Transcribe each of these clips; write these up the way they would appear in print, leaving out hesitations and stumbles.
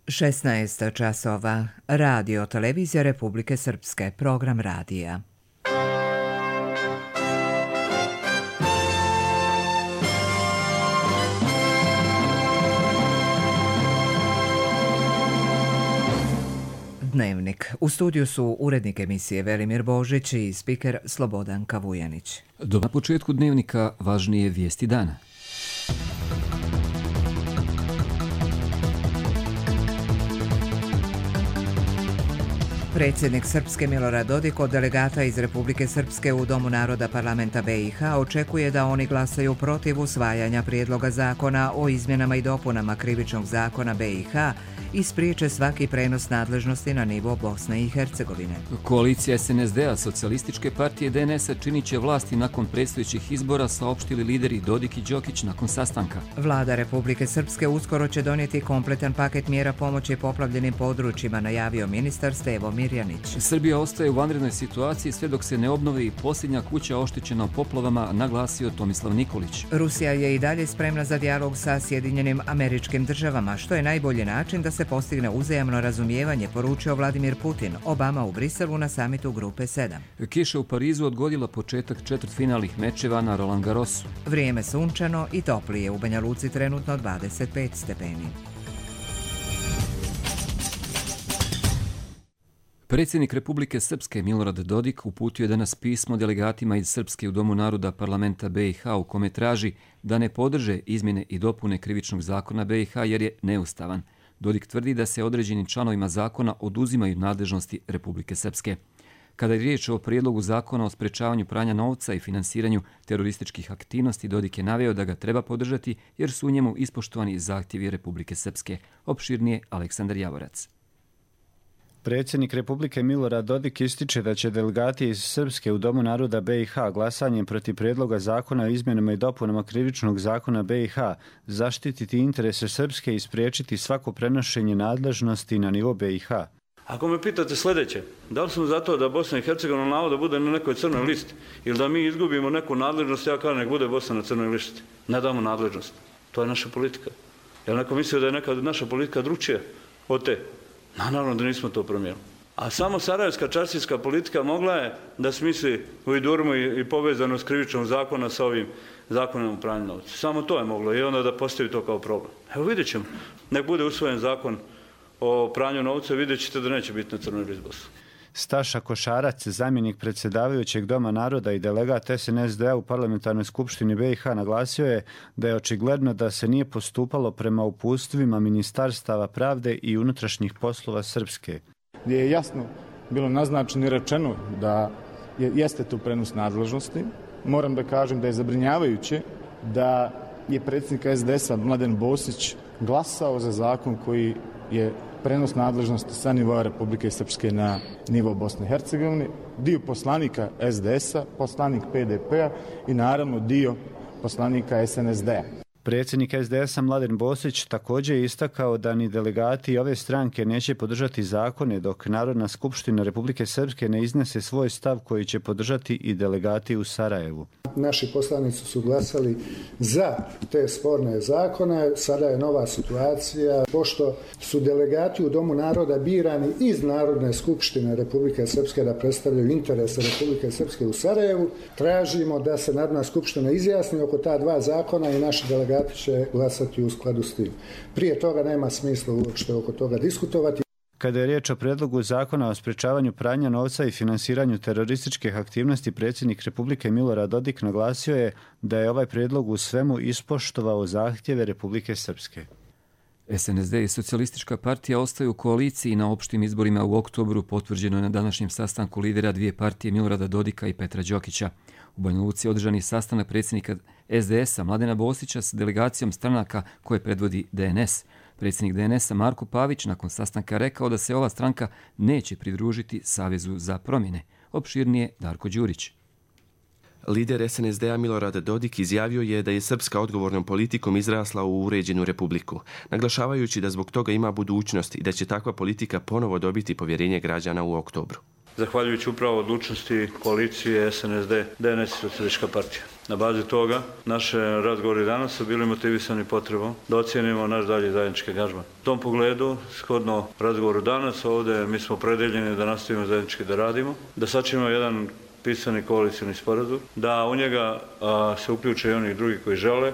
16 časova. Radio Televizija Republike Srpske. Program radija. Dnevnik. U studiju su urednik emisije Velimir Božić i spiker Slobodanka Vujanić. Na početku dnevnika važnije vijesti dana. Predsjednik Srpske Milorad Dodik od delegata iz Republike Srpske u Domu naroda parlamenta BiH očekuje da oni glasaju protiv usvajanja prijedloga zakona o izmjenama i dopunama krivičnog zakona BiH i spriječe svaki prenos nadležnosti na nivo Bosne i Hercegovine. Koalicija SNSD-a, Socijalističke partije DNS-a činit će vlasti nakon predstojećih izbora, saopštili lideri Dodik i Đokić nakon sastanka. Vlada Republike Srpske uskoro će donijeti kompletan paket mjera pomoći poplavljenim područjima, najavio ministar Stevo Mirjanić. Srbija ostaje u vanrednoj situaciji sve dok se ne obnovi i posljednja kuća oštećena poplavama, naglasio Tomislav Nikolić. Rusija je i dalje spremna za dijalog sa Sjedinjenim Američkim Državama, što je najbolji način da se postigne uzajamno razumijevanje, poručio Vladimir Putin. Obama u Briselu na samitu Grupe 7. Kiša u Parizu odgodila početak četvrtfinalnih mečeva na Roland Garrosu. Vrijeme sunčano i toplije, u Banja Luci trenutno 25 stepeni. Predsjednik Republike Srpske Milorad Dodik uputio je danas pismo delegatima iz Srpske u Domu naroda parlamenta BiH u kome traži da ne podrže izmjene i dopune krivičnog zakona BiH jer je neustavan. Dodik tvrdi da se određenim članovima zakona oduzimaju nadležnosti Republike Srpske. Kada je riječ o prijedlogu zakona o sprečavanju pranja novca i finansiranju terorističkih aktivnosti, Dodik je naveo da ga treba podržati jer su u njemu ispoštovani zahtjevi Republike Srpske. Opširnije Aleksandar Javorac. Predsjednik Republike Milorad Dodik ističe da će delegati iz Srpske u Domu naroda BiH glasanjem protiv prijedloga zakona o izmjenama i dopunama krivičnog zakona BiH zaštititi interese Srpske i spriječiti svako prenošenje nadležnosti na nivo BiH. Ako me pitate sljedeće, da li smo za to da Bosna i Hercegovina navodno bude na nekoj crnoj listi ili da mi izgubimo neku nadležnost, ja kažem nek bude Bosna na crnoj listi. Ne damo nadležnost. To je naša politika. Jel neko mislio da je neka naša politika drugčija od te? Naravno da nismo to promijenili. A samo sarajevska čaršijska politika mogla je da smisli ujdurmu i povezanost krivičnog zakona sa ovim zakonom o pranju novca. Samo to je moglo i onda da postavi to kao problem. Evo vidjet ćemo. Nek bude usvojen zakon o pranju novca, vidjet ćete da neće biti na crnoj listi Bosne. Staša Košarac, zamjenik predsjedavajućeg Doma naroda i delegat SNSD-a u parlamentarnoj skupštini BiH, naglasio je da je očigledno da se nije postupalo prema uputstvima ministarstava pravde i unutrašnjih poslova Srpske. Gdje je jasno bilo naznačeno i rečeno da jeste tu prenos nadležnosti. Moram da kažem da je zabrinjavajuće da je predsjednik SDS-a Mladen Bosić glasao za zakon koji je prenos nadležnosti sa nivoa Republike Srpske na nivo Bosne i Hercegovine, dio poslanika SDS-a, poslanik PDP-a i naravno dio poslanika SNSD-a. Predsjednik SDS-a Mladen Bosić također je istakao da ni delegati ove stranke neće podržati zakone dok Narodna skupština Republike Srpske ne iznese svoj stav koji će podržati i delegati u Sarajevu. Naši poslanici su glasali za te sporne zakone. Sada je nova situacija. Pošto su delegati u Domu naroda birani iz Narodne skupštine Republike Srpske da predstavljaju interese Republike Srpske u Sarajevu, tražimo da se Narodna skupština izjasni oko ta dva zakona i naši delegati će glasati u skladu s tim. Prije toga nema smisla uopšte oko toga diskutovati. Kada je riječ o prijedlogu zakona o sprečavanju pranja novca i finansiranju terorističkih aktivnosti, predsjednik Republike Milorad Dodik naglasio je da je ovaj prijedlog u svemu ispoštovao zahtjeve Republike Srpske. SNSD i Socijalistička partija ostaju u koaliciji na opštim izborima u oktobru, potvrđeno je na današnjem sastanku lidera dvije partije Milorada Dodika i Petra Đokića. U Banja Luci održani sastanak predsjednika SDS-a Mladena Bosića s delegacijom stranaka koje predvodi DNS. Predsjednik DNS-a Marko Pavić nakon sastanka rekao da se ova stranka neće pridružiti Savezu za promjene. Opširnije Darko Đurić. Lider SNSD-a Milorad Dodik izjavio je da je Srpska odgovornom politikom izrasla u uređenu republiku, naglašavajući da zbog toga ima budućnost i da će takva politika ponovo dobiti povjerenje građana u oktobru. zahvaljujući upravo odlučnosti koalicije SNSD, DNS i Socijalistička partija. Na bazi toga naše razgovori danas su bili motivisani potrebom da ocijenimo naš dalji zajednički angažman. U tom pogledu, shodno razgovoru danas, ovdje mi smo opredeljeni da nastavimo zajednički da radimo, da sačinimo jedan pisani koalicijni sporazum, da u njega se uključe i oni drugi koji žele,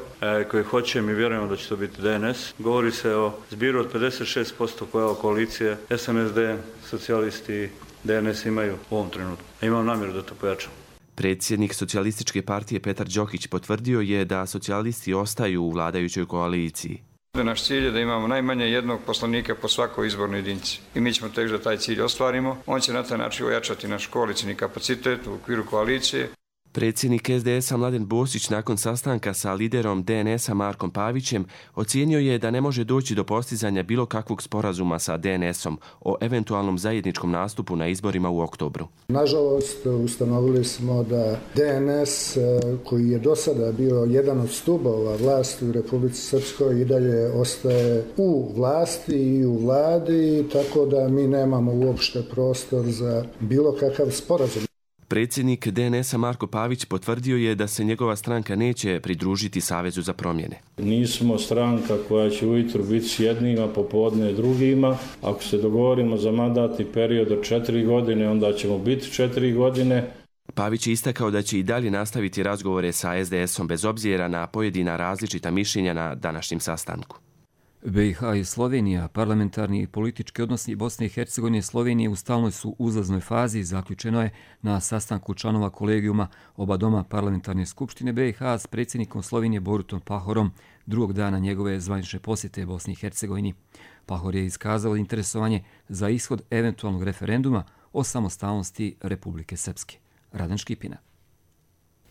koji hoće, mi vjerujemo da će to biti DNS. Govori se o zbiru od 56% koje koalicije SNSD, socijalisti i DNS imaju u ovom trenutku. Imam namjeru da to pojačam. Predsjednik Socijalističke partije Petar Đokić potvrdio je da socijalisti ostaju u vladajućoj koaliciji. Naš cilj je da imamo najmanje jednog poslanika po svakoj izbornoj jedinici. I mi ćemo teći da taj cilj ostvarimo. On će na taj način ojačati naš koalicijni kapacitet u okviru koalicije. Predsjednik SDS-a Mladen Bosić nakon sastanka sa liderom DNS-a Markom Pavićem ocijenio je da ne može doći do postizanja bilo kakvog sporazuma sa DNS-om o eventualnom zajedničkom nastupu na izborima u oktobru. Nažalost, ustanovili smo da DNS, koji je do sada bio jedan od stubova vlasti u Republici Srpskoj, i dalje ostaje u vlasti i u vladi, tako da mi nemamo uopšte prostor za bilo kakav sporazum. Predsjednik DNS-a Marko Pavić potvrdio je da se njegova stranka neće pridružiti Savezu za promjene. Nismo stranka koja će ujutro biti s jednima, popodne drugima. Ako se dogovorimo za mandatni period od 4 godine, onda ćemo biti 4 godine. Pavić je istakao da će i dalje nastaviti razgovore sa SDS-om bez obzira na pojedina različita mišljenja na današnjem sastanku. BiH i Slovenija, parlamentarni i politički odnosi Bosne i Hercegovine i Slovenije u stalnoj su uzlaznoj fazi, zaključeno je na sastanku članova kolegijuma oba doma parlamentarne skupštine BiH s predsjednikom Slovenije Borutom Pahorom drugog dana njegove zvanične posjete Bosni i Hercegovini. Pahor je iskazao interesovanje za ishod eventualnog referenduma o samostalnosti Republike Srpske. Radan Škipina.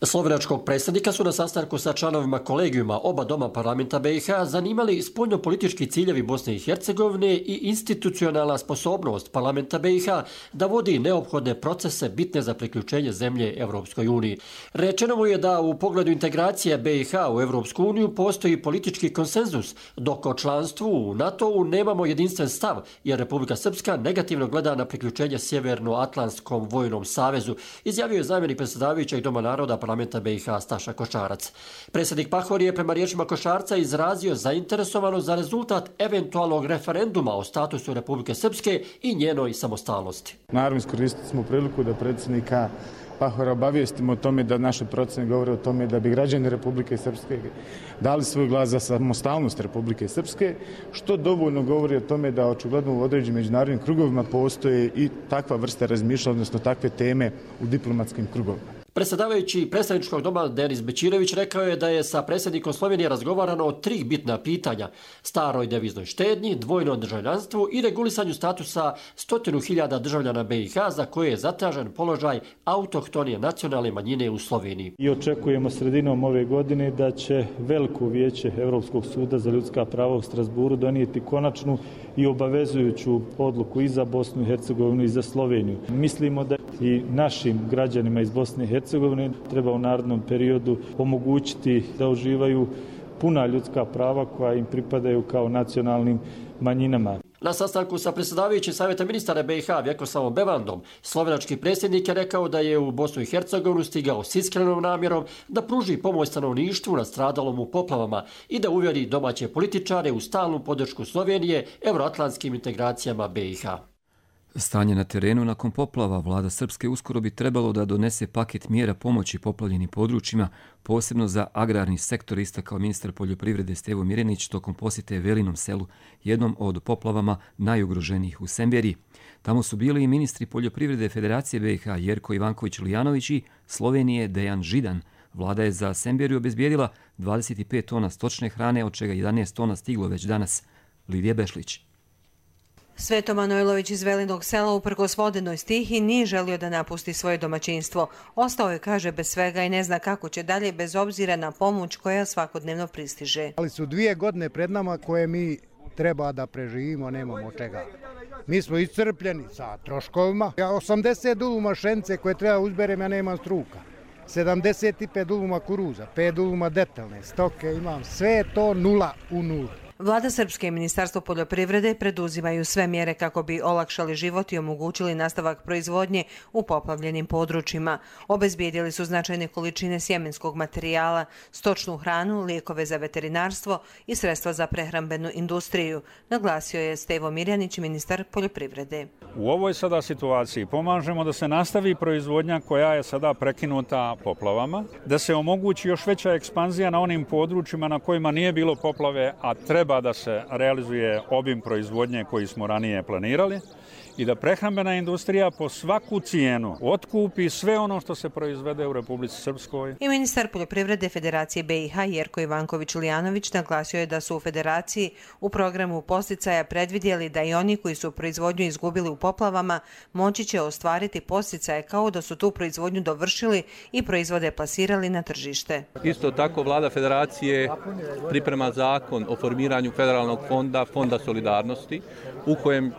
Slovenačkog predsjednika su na sastanku sa članovima kolegijuma oba doma parlamenta BiH zanimali spoljnopolitički ciljevi Bosne i Hercegovine i institucionalna sposobnost parlamenta BiH da vodi neophodne procese bitne za priključenje zemlje Evropskoj uniji. Rečeno mu je da u pogledu integracije BiH u Evropsku uniju postoji politički konsenzus, dok o članstvu u NATO-u nemamo jedinstven stav, jer Republika Srpska negativno gleda na priključenje Sjevernoatlantskom vojnom savezu, izjavio je zamjenik predsjedavajućeg Doma naroda parlamenta BiH Staša Košarac. Predsjednik Pahor je prema riječima Košarca izrazio zainteresovanost za rezultat eventualnog referenduma o statusu Republike Srpske i njenoj samostalnosti. Naravno, iskoristili smo priliku da predsjednika Pahora obavijestimo o tome da naše procene govore o tome da bi građani Republike Srpske dali svoj glas za samostalnost Republike Srpske, što dovoljno govori o tome da očigledno u određenim međunarodnim krugovima postoje i takva vrsta razmišljanja, odnosno takve teme u diplomatskim krugovima. Predsjedavajući predstavničkog doma Denis Bećirović rekao je da je sa predsjednikom Slovenije razgovarano o 3 bitna pitanja: staroj deviznoj štednji, dvojnom državljanstvu i regulisanju statusa 100.000 državljana BiH za koje je zatražen položaj autohtone nacionalne manjine u Sloveniji. I očekujemo sredinom ove godine da će veliko vijeće Europskog suda za ljudska prava u Strasburu donijeti konačnu i obavezujuću odluku i za Bosnu i Hercegovinu i za Sloveniju. Mislimo da i našim građanima iz Bosne i Hercegovine treba u narednom periodu omogućiti da uživaju puna ljudska prava koja im pripadaju kao nacionalnim manjinama. Na sastanku sa predsjedavajućim savjeta ministara BiH Vjekoslavom Bevandom, slovenački predsjednik je rekao da je u Bosnu i Hercegovinu stigao s iskrenom namjerom da pruži pomoć stanovništvu nastradalom u poplavama i da uvjeri domaće političare u stalnu podršku Slovenije evroatlantskim integracijama BiH. Stanje na terenu nakon poplava vlada Srpske uskoro bi trebalo da donese paket mjera pomoći poplavljenim područjima, posebno za agrarni sektor, istakao ministar poljoprivrede Stevo Mirjanić tokom posjete Velinom selu, jednom od poplavama najugroženijih u Semberiji. Tamo su bili i ministri poljoprivrede Federacije BiH Jerko Ivanković-Lijanović i Slovenije Dejan Židan. Vlada je za Semberiju obezbijedila 25 tona stočne hrane, od čega 11 tona stiglo već danas. Lidija Bešlić. Sveto Manojlović iz Velinog sela uprkos vodenoj stihi nije želio da napusti svoje domaćinstvo. Ostao je, kaže, bez svega i ne zna kako će dalje bez obzira na pomoć koja svakodnevno pristiže. Ali su 2 godine pred nama koje mi treba da preživimo, nemamo čega. Mi smo iscrpljeni sa troškovima. 80 duluma šence koje treba uzberem, ja nemam struka. 75 duluma kuruza, 5 duluma detaljne stoke imam, sve to nula u nulu. Vlada Srpske i Ministarstvo poljoprivrede preduzimaju sve mjere kako bi olakšali život i omogućili nastavak proizvodnje u poplavljenim područjima. Obezbijedili su značajne količine sjemenskog materijala, stočnu hranu, lijekove za veterinarstvo i sredstva za prehrambenu industriju, naglasio je Stevo Mirjanić, ministar poljoprivrede. U ovoj sada situaciji pomažemo da se nastavi proizvodnja koja je sada prekinuta poplavama, da se omogući još veća ekspanzija na onim područjima na kojima nije bilo poplave, a treba da se realizuje obim proizvodnje koji smo ranije planirali i da prehrambena industrija po svaku cijenu otkupi sve ono što se proizvede u Republici Srpskoj. I ministar poljoprivrede Federacije BiH Jerko Ivanković-Lijanović naglasio je da su u Federaciji u programu podsticaja predvidjeli da i oni koji su proizvodnju izgubili u poplavama moći će ostvariti podsticaje kao da su tu proizvodnju dovršili i proizvode plasirali na tržište. Isto tako Vlada Federacije priprema zakon o formiranju federalnog fonda, Fonda solidarnosti, u kojem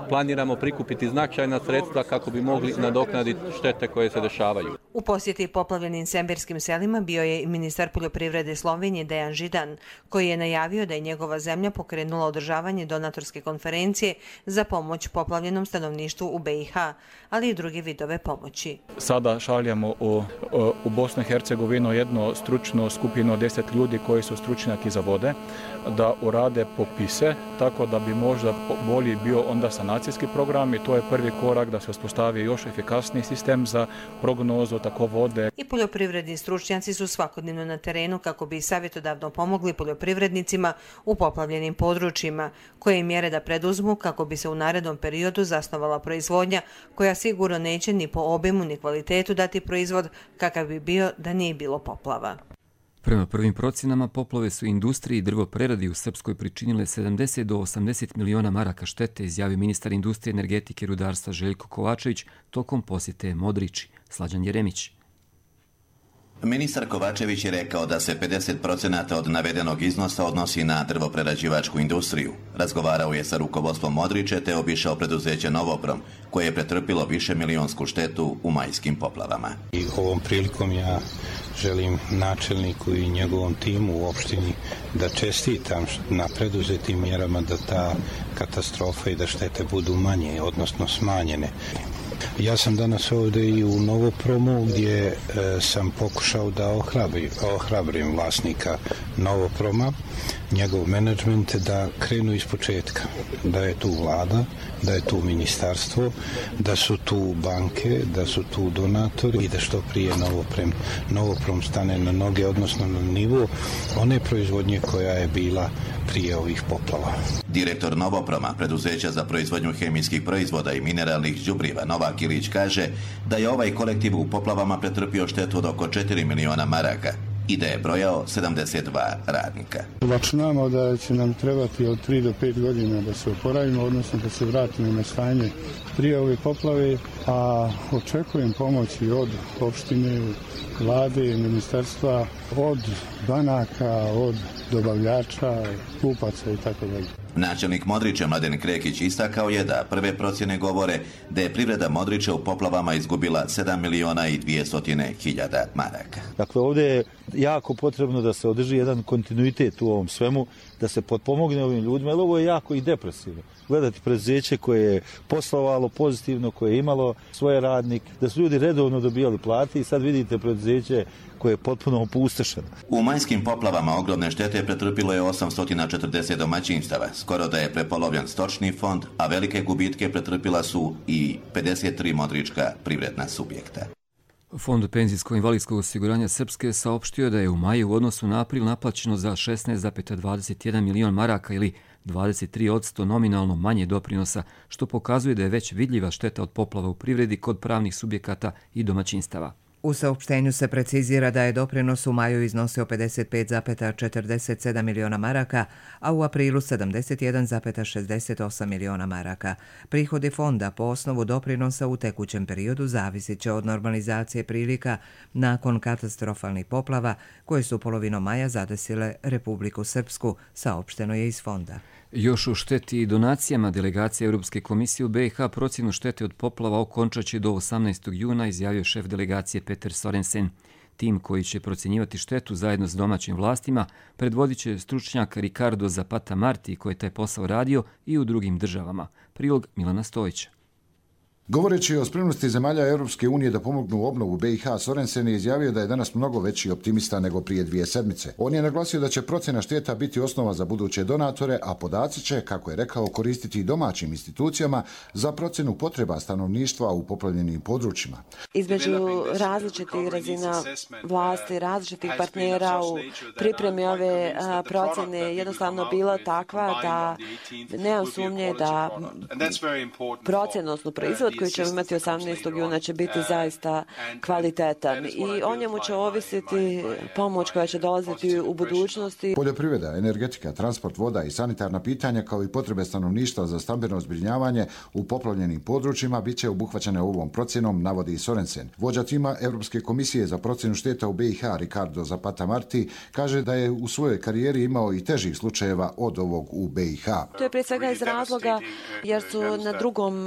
planiramo prikupiti značajna sredstva kako bi mogli nadoknaditi štete koje se dešavaju. U posjeti poplavljenim semberskim selima bio je i ministar poljoprivrede Slovenije Dejan Židan, koji je najavio da je njegova zemlja pokrenula održavanje donatorske konferencije za pomoć poplavljenom stanovništvu u BiH, ali i druge vidove pomoći. Sada šaljamo u Bosnu i Hercegovinu jednu stručnu skupinu 10 ljudi koji su stručnjaki za vode, da urade popise, tako da bi možda bolji bio onda sanacijski program i to je prvi korak da se uspostavi još efikasniji sistem za prognozu tako vode. I poljoprivredni stručnjaci su svakodnevno na terenu kako bi savjetodavno pomogli poljoprivrednicima u poplavljenim područjima, koje mjere da preduzmu kako bi se u narednom periodu zasnovala proizvodnja koja sigurno neće ni po obimu ni kvalitetu dati proizvod kakav bi bio da nije bilo poplava. Prema prvim procjenama, poplave su industriji i drvopreradi u Srpskoj pričinile 70 do 80 miliona maraka štete, izjavio ministar industrije, energetike i rudarstva Željko Kovačević tokom posjete Modriči. Slađan Jeremić. Ministar Kovačević je rekao da se 50% od navedenog iznosa odnosi na drvoprerađivačku industriju. Razgovarao je sa rukovodstvom Modriče te obišao preduzeće Novoprom, koje je pretrpilo višemilijonsku štetu u majskim poplavama. I ovom prilikom ja želim načelniku i njegovom timu u opštini da čestitam na preduzetim mjerama da ta katastrofa i da štete budu manje, odnosno smanjene. Ja sam danas ovdje i u Novopromu gdje sam pokušao da ohrabrim vlasnika Novoproma, njegov menadžment, da krenu iz početka, da je tu vlada, da je tu ministarstvo, da su tu banke, da su tu donatori i da što prije Novoprom stane na noge, odnosno na nivo one proizvodnje koja je bila prije ovih poplava. Direktor Novoproma, preduzeća za proizvodnju hemijskih proizvoda i mineralnih đubriva, Novak Ilić, kaže da je ovaj kolektiv u poplavama pretrpio štetu od oko 4 miliona maraka i da je brojao 72 radnika. Računamo da će nam trebati od 3 do 5 godina da se oporavimo, odnosno da se vratimo na stanje prije ove poplave, a očekujem pomoći od opštine, vlade, ministarstva, od banaka, od dobavljača, kupaca i tako dalje. Načelnik Modrića Mladen Krekić istakao je da prve procjene govore da je privreda Modrića u poplavama izgubila 7 miliona i 200 hiljada maraka. Dakle, ovdje je jako potrebno da se održi jedan kontinuitet u ovom svemu, da se potpomogne ovim ljudima, jer ovo je jako i depresivno. Gledati preduzeće koje je poslovalo pozitivno, koje je imalo svoje radnike, da su ljudi redovno dobijali plate i sad vidite preduzeće koje je potpuno opustošeno. U majskim poplavama ogromne štete pretrpilo je 840 domaćinstava, skoro da je prepolovljen stočni fond, a velike gubitke pretrpila su i 53 modrička privredna subjekta. Fond penzijsko-invalidskog osiguranja Srpske saopštio da je u maju u odnosu na april naplaćeno za 16,21 milion maraka ili 23% nominalno manje doprinosa, što pokazuje da je već vidljiva šteta od poplava u privredi kod pravnih subjekata i domaćinstava. U saopštenju se precizira da je doprinos u maju iznosio 55,47 miliona maraka, a u aprilu 71,68 miliona maraka. Prihodi fonda po osnovu doprinosa u tekućem periodu zavisit će od normalizacije prilika nakon katastrofalnih poplava koje su polovinom maja zadesile Republiku Srpsku, saopšteno je iz fonda. Još u šteti i donacijama delegacija Europske komisije u BiH procjenu štete od poplava okončat će do 18. juna, izjavio šef delegacije Peter Sorensen. tim koji će procjenjivati štetu zajedno s domaćim vlastima predvodit će stručnjak Ricardo Zapata Marti koji je taj posao radio i u drugim državama. Prilog Milana Stojića. Govoreći o spremnosti zemalja Europske unije da pomognu u obnovu BiH, Sorensen je izjavio da je danas mnogo veći optimista nego prije 2 sedmice. On je naglasio da će procjena šteta biti osnova za buduće donatore, a podaci će, kako je rekao, koristiti i domaćim institucijama za procjenu potreba stanovništva u poplavljenim područjima. Između različitih razina vlasti, različitih partnera u pripremi ove procjene jednostavno bila takva da nemam sumnje da procjenosno proizvod koji ćemo imati 18. juna će biti zaista kvalitetan i o njemu će ovisiti pomoć koja će dolaziti u budućnosti. Poljoprivreda, energetika, transport, voda i sanitarna pitanja kao i potrebe stanovništva za stambeno zbrinjavanje u poplavljenim područjima bit će obuhvaćene ovom procjenom, navodi Sorensen. Vođa tima Europske komisije za procjenu šteta u BiH, Ricardo Zapata Marti, kaže da je u svojoj karijeri imao i težih slučajeva od ovog u BiH. To je prije svega iz razloga jer su na drugom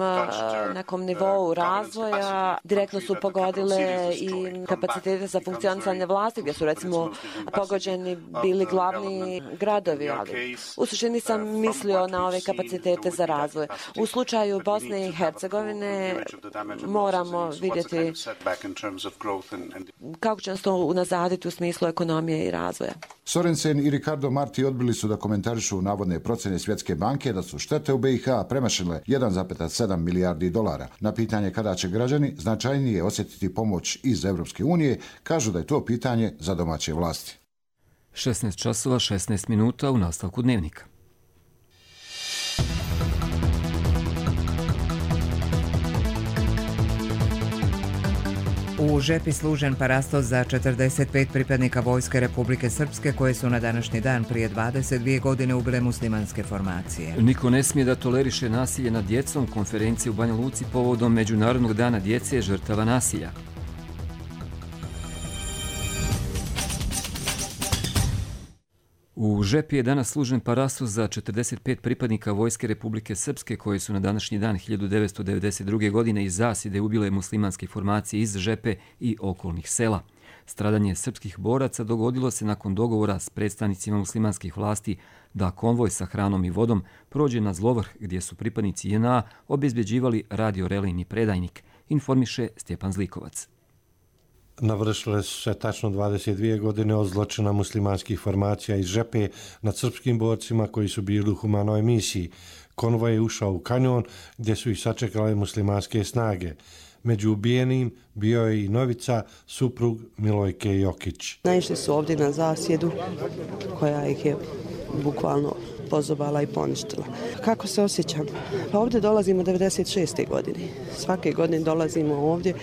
nekom nivou razvoja direktno su pogodile i kapacitete za funkcionisanje vlasti gdje su recimo pogođeni bili glavni gradovi, ali u suštini sam mislio na ove kapacitete za razvoj. U slučaju Bosne i Hercegovine moramo vidjeti kako će nas to unazaditi u smislu ekonomije i razvoja. Sorensen i Ricardo Marti odbili su da komentarišu navodne procjene Svjetske banke da su štete u BiH premašile 1,7 milijardi dolara. Na pitanje kada će građani značajnije osjetiti pomoć iz Europske unije, kažu da je to pitanje za domaće vlasti. 16 časova, 16 minuta u nastavku dnevnika. U žepi služen parastos za 45 pripadnika Vojske Republike Srpske koje su na današnji dan prije 22 godine ubile muslimanske formacije. Niko ne smije da toleriše nasilje nad djecom. Konferencije u Banja Luci povodom Međunarodnog dana djece žrtava nasilja. U žepi je danas služen parastos za 45 pripadnika Vojske Republike Srpske koji su na današnji dan 1992. godine iz zasjede ubile muslimanske formacije iz Žepe i okolnih sela. Stradanje srpskih boraca dogodilo se nakon dogovora s predstavnicima muslimanskih vlasti da konvoj sa hranom i vodom prođe na Zlovrh gdje su pripadnici JNA obezbeđivali radiorelejni predajnik, informiše Stjepan Zlikovac. Navršile su se tačno 22 godine od zločina muslimanskih formacija iz Žepe nad srpskim borcima koji su bili u humanoj misiji. Konvoj je ušao u kanjon gdje su ih sačekale muslimanske snage. Među ubijenim bio je i Novica, suprug Milojke Jokić. Naišli su ovdje na zasjedu koja ih je bukvalno pozobala i poništila. Kako se osjećam? Pa ovdje dolazimo 96. godine. Svake godine dolazimo ovdje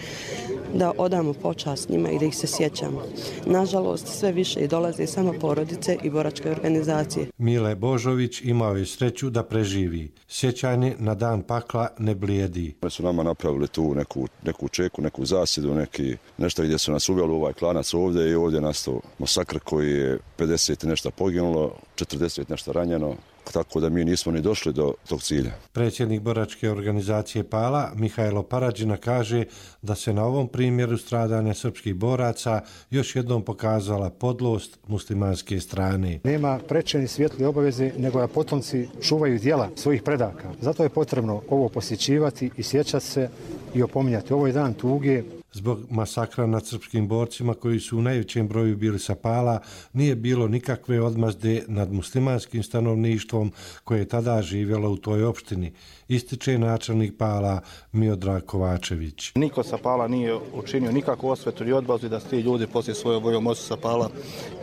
da odamo počast njima i da ih se sjećamo. Nažalost, sve više dolaze samo porodice i boračke organizacije. Mile Božović imao je sreću da preživi. Sjećanje na dan pakla ne blijedi. Oni su nama napravili tu neku čeku, neku zasjedu, nešto gdje su nas uveli u ovaj klanac ovdje i ovdje je nastao masakr koji je 50 nešto poginulo, 40 nešto ranjeno. Tako da mi nismo ni došli do tog cilja. Predsjednik boračke organizacije Pala, Mihajlo Paradžina, kaže da se na ovom primjeru stradanja srpskih boraca još jednom pokazala podlost muslimanske strane. Nema preče ni svjetli obaveze nego da potomci čuvaju djela svojih predaka. Zato je potrebno ovo posjećivati i sjećati se i opominjati. Ovo je dan tuge. Zbog masakra nad srpskim borcima koji su u najvećem broju bili sa Pala, nije bilo nikakve odmazde nad muslimanskim stanovništvom koje je tada živjelo u toj opštini, ističe načelnik Pala Miodrag Kovačević. Niko sa Pala nije učinio nikakvu osvetu i odbazu da ti ljudi poslije svojom voljom osu sa Pala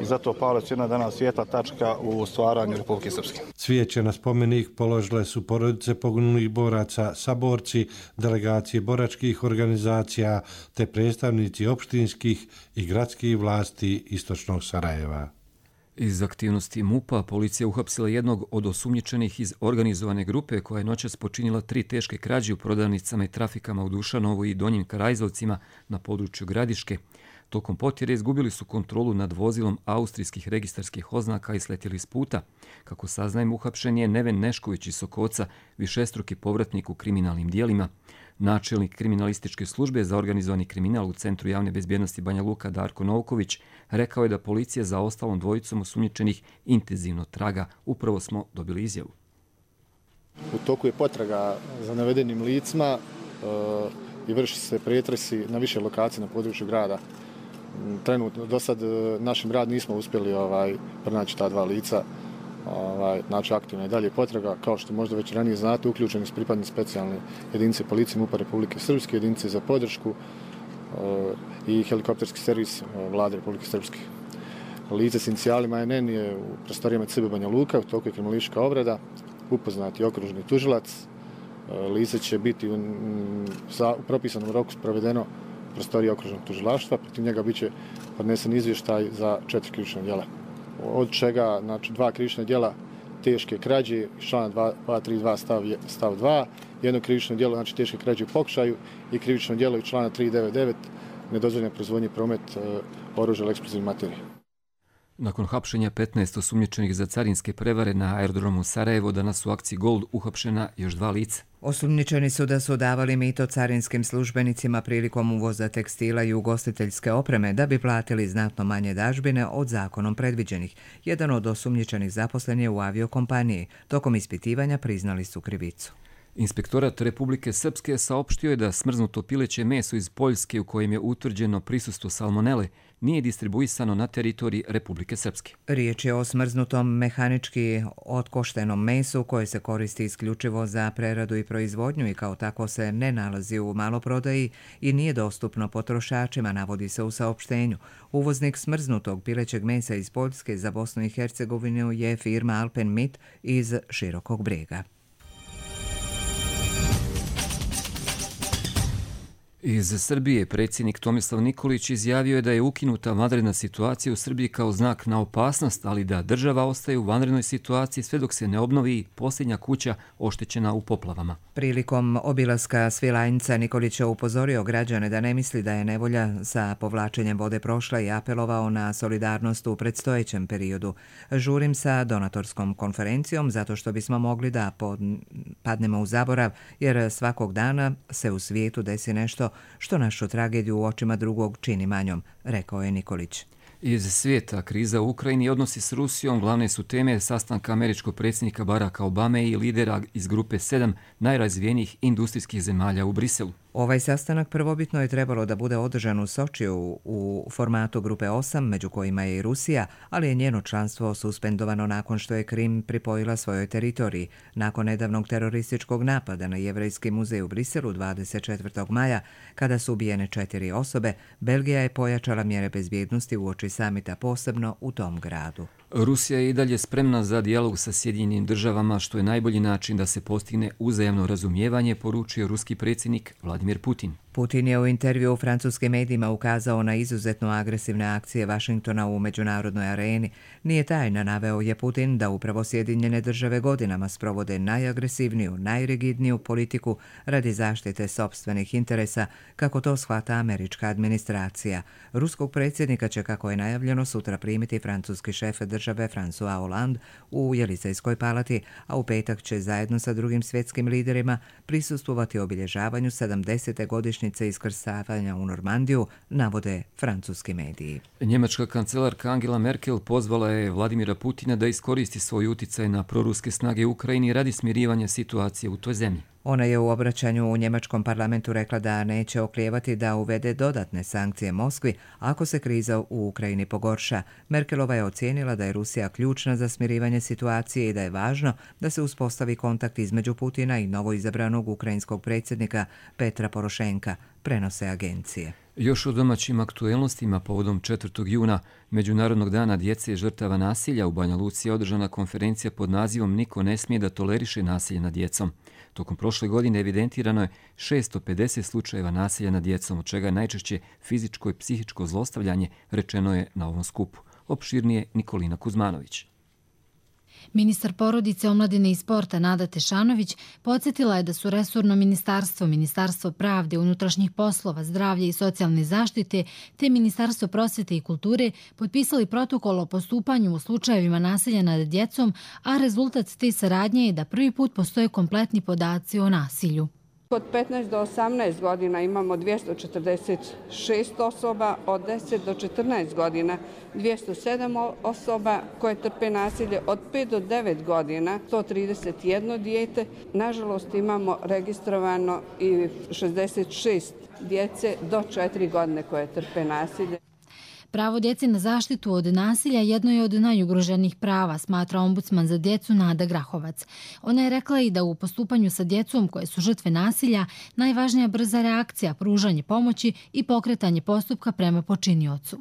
i zato Pala je jedna danas svijetla tačka u stvaranju Republike Srpske. Cvijeće na spomenik položile su porodice poginulih boraca, saborci, delegacije boračkih organizacija te predstavnici opštinskih i gradskih vlasti istočnog Sarajeva. Iz aktivnosti MUP-a policija uhapsila jednog od osumnjičenih iz organizovane grupe koja je noćas počinila 3 teške krađe u prodavnicama i trafikama u Dušanovu i Donjim Karajzovcima na području Gradiške. Tokom potjere izgubili su kontrolu nad vozilom austrijskih registarskih oznaka i sletjeli s puta. Kako saznajem, uhapšen je Neven Nešković iz Sokoca, višestruki povratnik u kriminalnim dijelima. Načelnik kriminalističke službe za organizovani kriminal u Centru javne bezbjednosti Banja Luka Darko Novković rekao je da policija za ostalom dvojicom osumnjičenih intenzivno traga. Upravo smo dobili izjavu. U toku je potraga za navedenim licima i vrši se pretresi na više lokacije na području grada. Trenutno, do sad našim rad nismo uspjeli pronaći ta dva lica. Znači aktivna je dalje potraga, kao što možda već ranije znate, uključeni su pripadnici specijalne jedinice policije MUP-a Republike Srpske, jedinice za podršku i helikopterski servis Vlade Republike Srpske. Lice s inicijalima NN je u prostorijama CB Banja Luka, u toku je kriminalistička obrada, upoznati okružni tužilac. Lice će biti u propisanom roku sprovedeno u prostoriji okružnog tužilaštva, protiv njega bit će podnesen izvještaj za 4 krivična djela. Od čega, znači, 2 krivična djela teške krađe iz člana 232 stav 2, jedno krivično djelo, znači teške krađe u pokušaju i krivično djelo iz člana 399 nedozvoljena proizvodnja i promet oružja ili eksplozivnih materija. Nakon hapšenja 15 osumnjičenih za carinske prevare na aerodromu Sarajevo, danas u akciji Gold uhapšena još 2 lica. Osumnjičeni su da su davali mito carinskim službenicima prilikom uvoza tekstila i ugostiteljske opreme da bi platili znatno manje dažbine od zakonom predviđenih. Jedan od osumnjičenih zaposlen je u aviokompaniji. Tokom ispitivanja priznali su krivicu. Inspektorat Republike Srpske saopštio je da smrznuto pileće meso iz Poljske u kojem je utvrđeno prisustvo salmonele nije distribuisano na teritoriji Republike Srpske. Riječ je o smrznutom mehanički otkoštenom mesu koje se koristi isključivo za preradu i proizvodnju i kao tako se ne nalazi u maloprodaji i nije dostupno potrošačima, navodi se u saopštenju. Uvoznik smrznutog pilećeg mesa iz Poljske za Bosnu i Hercegovinu je firma Alpen Meat iz Širokog Brega. Iz Srbije predsjednik Tomislav Nikolić izjavio je da je ukinuta vanredna situacija u Srbiji kao znak na opasnost, ali da država ostaje u vanrednoj situaciji sve dok se ne obnovi posljednja kuća oštećena u poplavama. Prilikom obilaska Svilajnca Nikolić je upozorio građane da ne misli da je nevolja sa povlačenjem vode prošla i apelovao na solidarnost u predstojećem periodu. Žurim sa donatorskom konferencijom zato što bismo mogli da padnemo u zaborav, jer svakog dana se u svijetu desi nešto što našu tragediju u očima drugog čini manjom, rekao je Nikolić. Iz svijeta kriza u Ukrajini i odnosi s Rusijom glavne su teme sastanka američkog predsjednika Baracka Obame i lidera iz grupe 7 najrazvijenijih industrijskih zemalja u Briselu. Ovaj sastanak prvobitno je trebalo da bude održan u Sočiju u formatu grupe 8, među kojima je i Rusija, ali je njeno članstvo suspendovano nakon što je Krim pripojila svojoj teritoriji. Nakon nedavnog terorističkog napada na Jevrejski muzej u Briselu 24. maja, kada su ubijene 4 osobe, Belgija je pojačala mjere bezbjednosti uoči samita, posebno u tom gradu. Rusija je i dalje spremna za dijalog sa Sjedinjenim državama, što je najbolji način da se postigne uzajamno razumijevanje, poručio ruski predsjednik Vladimir Putin. Putin je u intervju u francuskim medijima ukazao na izuzetno agresivne akcije Vašingtona u međunarodnoj areni. Nije tajna, naveo je Putin, da upravo Sjedinjene države godinama sprovode najagresivniju, najrigidniju politiku radi zaštite sopstvenih interesa, kako to shvata američka administracija. Ruskog predsjednika će, kako je najavljeno, sutra primiti francuski šef države François Hollande u Jelisejskoj palati, a u petak će zajedno sa drugim svjetskim liderima prisustvovati obilježavanju 70. godišnjice iskrcavanja u Normandiju, navode francuski mediji. Njemačka kancelarka Angela Merkel pozvala je Vladimira Putina da iskoristi svoj uticaj na proruske snage u Ukrajini radi smirivanja situacije u toj zemlji. Ona je u obraćanju u njemačkom parlamentu rekla da neće oklijevati da uvede dodatne sankcije Moskvi ako se kriza u Ukrajini pogorša. Merkelova je ocijenila da je Rusija ključna za smirivanje situacije i da je važno da se uspostavi kontakt između Putina i novoizabranog ukrajinskog predsjednika Petra Porošenka, prenose agencije. Još o domaćim aktuelnostima povodom 4. juna, Međunarodnog dana djece žrtava nasilja, u Banja Luci je održana konferencija pod nazivom Niko ne smije da toleriše nasilje nad djecom. Tokom prošle godine evidentirano je 650 slučajeva nasilja nad djecom, od čega je najčešće fizičko i psihičko zlostavljanje, rečeno je na ovom skupu. Opširnije Nikolina Kuzmanović. Ministar porodice, omladine i sporta Nada Tešanović podsjetila je da su resorno ministarstvo, Ministarstvo pravde, unutrašnjih poslova, zdravlja i socijalne zaštite te Ministarstvo prosvete i kulture potpisali protokol o postupanju u slučajevima nasilja nad djecom, a rezultat te saradnje je da prvi put postoje kompletni podaci o nasilju. Od 15 do 18 godina imamo 246 osoba, od 10 do 14 godina 207 osoba koje trpe nasilje, od 5 do 9 godina 131 dijete. Nažalost imamo registrovano i 66 djece do 4 godine koje trpe nasilje. Pravo djece na zaštitu od nasilja jedno je od najugroženijih prava, smatra ombudsman za djecu Nada Grahovac. Ona je rekla i da u postupanju sa djecom koje su žrtve nasilja najvažnija brza reakcija, pružanje pomoći i pokretanje postupka prema počiniocu.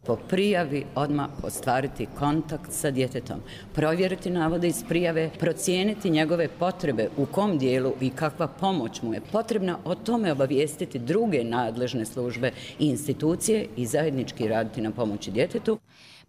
Po prijavi odmah ostvariti kontakt sa djetetom, provjeriti navode iz prijave, procijeniti njegove potrebe, u kom dijelu i kakva pomoć mu je potrebna, o tome obavijestiti druge nadležne službe i institucije i zajednički raditi na pomoći djetetu.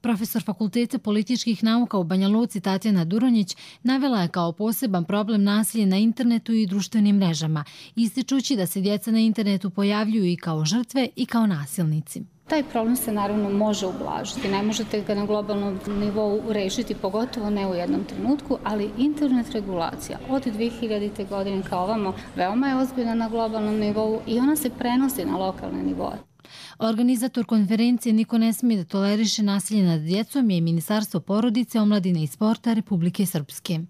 Profesor Fakulteta političkih nauka u Banja Luci Tatjana Duronjić navela je kao poseban problem nasilje na internetu i društvenim mrežama, ističući da se djeca na internetu pojavljuju i kao žrtve i kao nasilnici. Taj problem se naravno može ublažiti, ne možete ga na globalnom nivou rešiti, pogotovo ne u jednom trenutku, ali internet regulacija od 2000. godine kao ovamo veoma je ozbiljna na globalnom nivou i ona se prenosi na lokalne nivoe. Organizator konferencije Niko ne smije da toleriše nasilje nad djecom je Ministarstvo porodice, omladine i sporta Republike Srpske.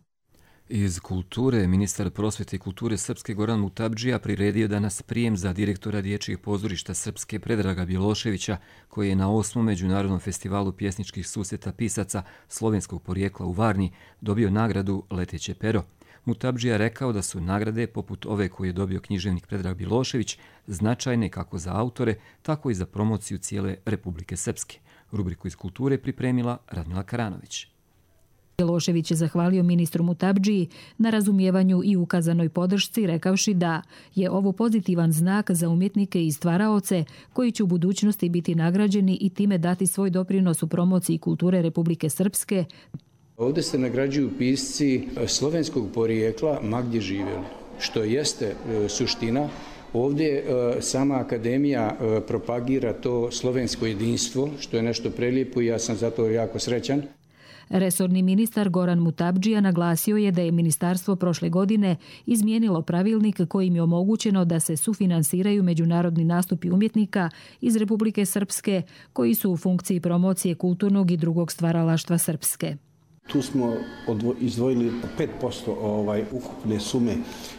Iz kulture, ministar prosvete i kulture Srpske Goran Mutabdžija priredio danas prijem za direktora Dječjih pozorišta Srpske Predraga Bjeloševića, koji je na 8. Međunarodnom festivalu pjesničkih susreta pisaca slovenskog porijekla u Varni dobio nagradu Leteće pero. Mutabdžija rekao da su nagrade, poput ove koju je dobio književnik Predrag Bjelošević, značajne kako za autore, tako i za promociju cijele Republike Srpske. Rubriku iz kulture pripremila Radmila Karanović. Bjelošević je zahvalio ministru Mutabdžiji na razumijevanju i ukazanoj podršci, rekavši da je ovo pozitivan znak za umjetnike i stvaraoce koji će u budućnosti biti nagrađeni i time dati svoj doprinos u promociji kulture Republike Srpske. Ovdje se nagrađuju pisci slovenskog porijekla ma gdje živjeli, što jeste suština. Ovdje sama akademija propagira to slovensko jedinstvo, što je nešto prelijepo i ja sam zato jako srećan. Resorni ministar Goran Mutabdžija naglasio je da je ministarstvo prošle godine izmijenilo pravilnik kojim je omogućeno da se sufinansiraju međunarodni nastupi umjetnika iz Republike Srpske koji su u funkciji promocije kulturnog i drugog stvaralaštva Srpske. Tu smo izdvojili 5% ukupne sume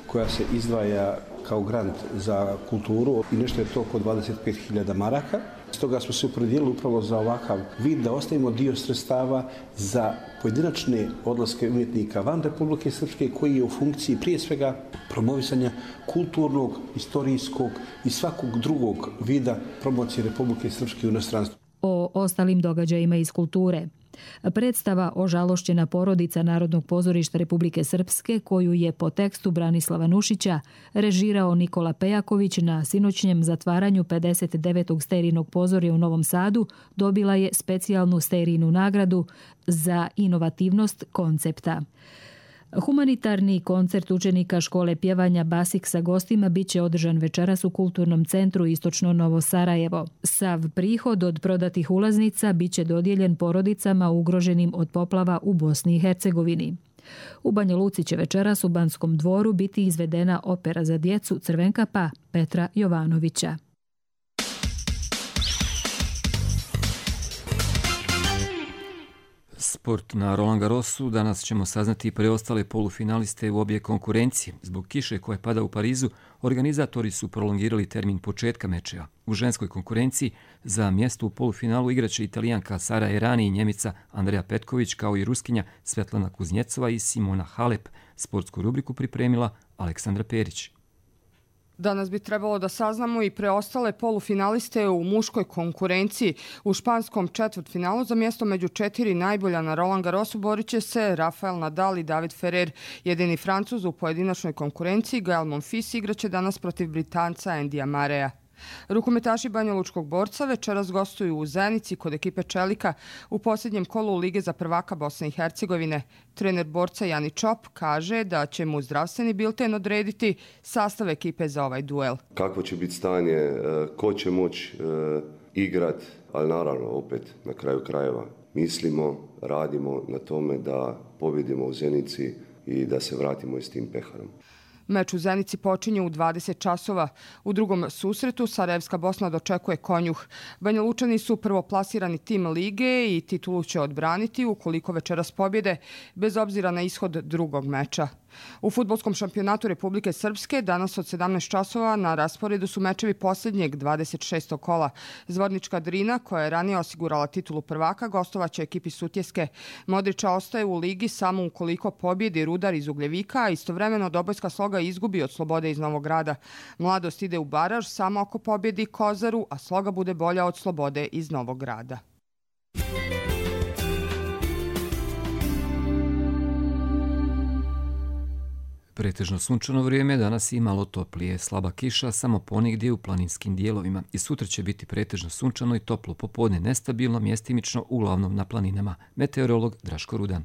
koja se izdvaja kao grant za kulturu i nešto je to oko 25.000 maraka. Stoga smo se opredijelili upravo za ovakav vid da ostavimo dio sredstava za pojedinačne odlaske umjetnika van Republike Srpske koji je u funkciji prije svega promovisanja kulturnog, istorijskog i svakog drugog vida promocije Republike Srpske u inostranstvu. O ostalim događajima iz kulture. Predstava Ožalošćena porodica Narodnog pozorišta Republike Srpske, koju je po tekstu Branislava Nušića režirao Nikola Pejaković na sinoćnjem zatvaranju 59. sterijnog pozorja u Novom Sadu, dobila je specijalnu sterijnu nagradu za inovativnost koncepta. Humanitarni koncert učenika škole pjevanja Basik sa gostima biće održan večeras u Kulturnom centru Istočno Novo Sarajevo. Sav prihod od prodatih ulaznica biće dodijeljen porodicama ugroženim od poplava u Bosni i Hercegovini. U Banja Luci će večeras u Banskom dvoru biti izvedena opera za djecu Crvenkapa Petra Jovanovića. Sport na Roland Garrosu. Danas ćemo saznati preostale polufinaliste u obje konkurencije. Zbog kiše koja pada u Parizu, organizatori su prolongirali termin početka mečeva. U ženskoj konkurenciji za mjesto u polufinalu igraće Italijanka Sara Errani i Njemica Andreja Petković, kao i Ruskinja Svetlana Kuznjecova i Simona Halep. Sportsku rubriku pripremila Aleksandra Perić. Danas bi trebalo da saznamo i preostale polufinaliste u muškoj konkurenciji. U španskom četvrtfinalu za mjesto među 4 najbolja na Roland Garrosu borit će se Rafael Nadal i David Ferrer. Jedini Francuz u pojedinačnoj konkurenciji, Gael Monfils, igraće danas protiv Britanca Andyja Murraya. Rukometaši Banjalučkog Borca večeras gostuju u Zenici kod ekipe Čelika u posljednjem kolu Lige za prvaka Bosne i Hercegovine. Trener Borca Jani Čop kaže da će mu zdravstveni bilten odrediti sastav ekipe za ovaj duel. Kako će biti stanje, ko će moći igrat, ali naravno opet na kraju krajeva mislimo, radimo na tome da pobjedimo u Zenici i da se vratimo s tim peharom. Meč u Zenici počinje u 20 časova. U drugom susretu Sarajevska Bosna dočekuje Konjuh. Banjalučani su prvoplasirani tim lige i titulu će odbraniti ukoliko večeras pobjede, bez obzira na ishod drugog meča. U fudbalskom šampionatu Republike Srpske danas od 17 časova na rasporedu su mečevi posljednjeg 26. kola. Zvornička Drina, koja je ranije osigurala titulu prvaka, gostovaće ekipi Sutjeske. Modrića ostaje u ligi samo ukoliko pobjedi Rudar iz Ugljevika, a istovremeno Dobojska Sloga izgubi od Slobode iz Novog Grada. Mladost ide u baraž samo ako pobjedi Kozaru, a Sloga bude bolja od Slobode iz Novog Grada. Pretežno sunčano vrijeme, danas i malo toplije, slaba kiša samo ponegdje u planinskim dijelovima. I sutra će biti pretežno sunčano i toplo, popodne nestabilno, mjestimično uglavnom na planinama. Meteorolog Draško Rudan.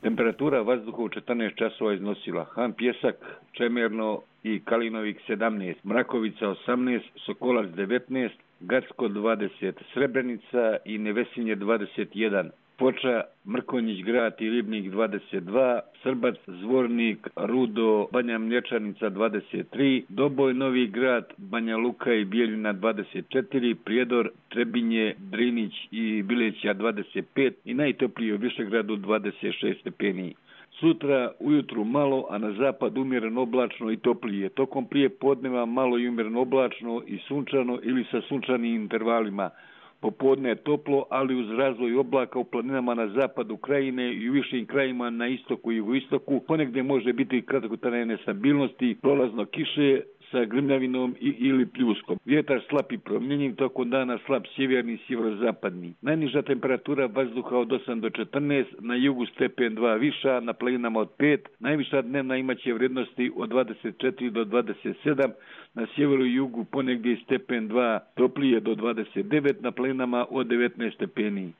Temperatura vazduha u 14 časova iznosila Han Pjesak, Čemerno i Kalinovik 17, Mrakovica 18, Sokolac 19, Gacko 20, Srebrenica i Nevesinje 21, Foča, Mrkonjić grad i Ribnik 22, Srbac, Zvornik, Rudo, Banja Mlječanica 23, Doboj, Novi grad, Banja Luka i Bijeljina 24, Prijedor, Trebinje, Drinić i Bileća 25 i najtoplije u Višegradu 26 stepeni. Sutra ujutru malo, a na zapad umjereno oblačno i toplije. Tokom prije podneva malo i umjereno oblačno i sunčano ili sa sunčanim intervalima. Popodne je toplo, ali uz razvoj oblaka u planinama na zapadu krajine i u višim krajima na istoku i jugoistoku. Ponegdje može biti kratkotrajne nestabilnosti, prolazno kiše sa grmljavinom ili pljuskom. Vjetar slab i promjenjiv, tokom dana slab sjeverni i sjeverozapadni. Najniža temperatura vazduha od 8 do 14, na jugu stepen 2 viša, na planinama od 5. Najviša dnevna imaće vrijednosti od 24 do 27, na sjeveru i jugu ponegdje stepen 2 toplije do 29, na planinama od 19 stepeni.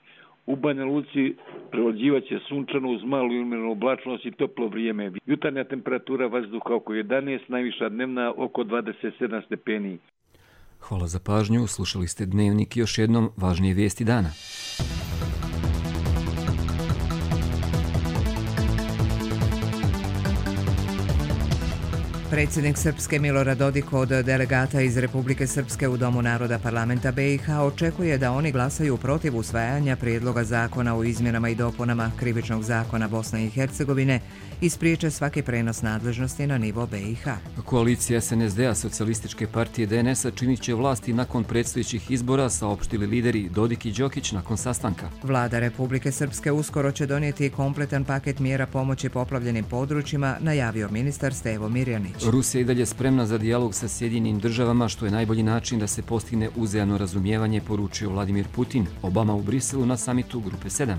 U Banja Luci prevođivat će sunčano uz malu i umjerenu oblačnost i toplo vrijeme. Jutarnja temperatura vazduha oko 11, najviša dnevna oko 27 stepeni. Hvala za pažnju, slušali ste Dnevnik i još jednom važnije vijesti dana. Predsjednik Srpske Milorad Dodik od delegata iz Republike Srpske u Domu naroda parlamenta BiH očekuje da oni glasaju protiv usvajanja prijedloga zakona o izmjenama i dopunama Krivičnog zakona Bosne i Hercegovine i spriječe svaki prenos nadležnosti na nivo BiH. Koalicija SNSD-a Socijalističke partije DNS-a činit će vlasti nakon predstojećih izbora, saopštili lideri Dodik i Đokić nakon sastanka. Vlada Republike Srpske uskoro će donijeti kompletan paket mjera pomoći poplavljenim područjima, najavio ministar Stevo Mirjanić. Rusija je i dalje spremna za dijalog sa Sjedinjenim državama, što je najbolji način da se postigne uzajamno razumijevanje, poručio Vladimir Putin. Obama u Briselu na samitu Grupe 7.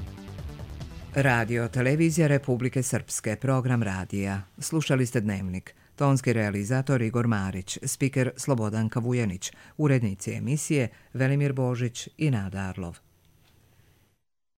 Radio Televizija Republike Srpske, program radija. Slušali ste Dnevnik. Tonski realizator Igor Marić, spiker Slobodanka Vujanić, urednici emisije Velimir Božić i Nada Arlov.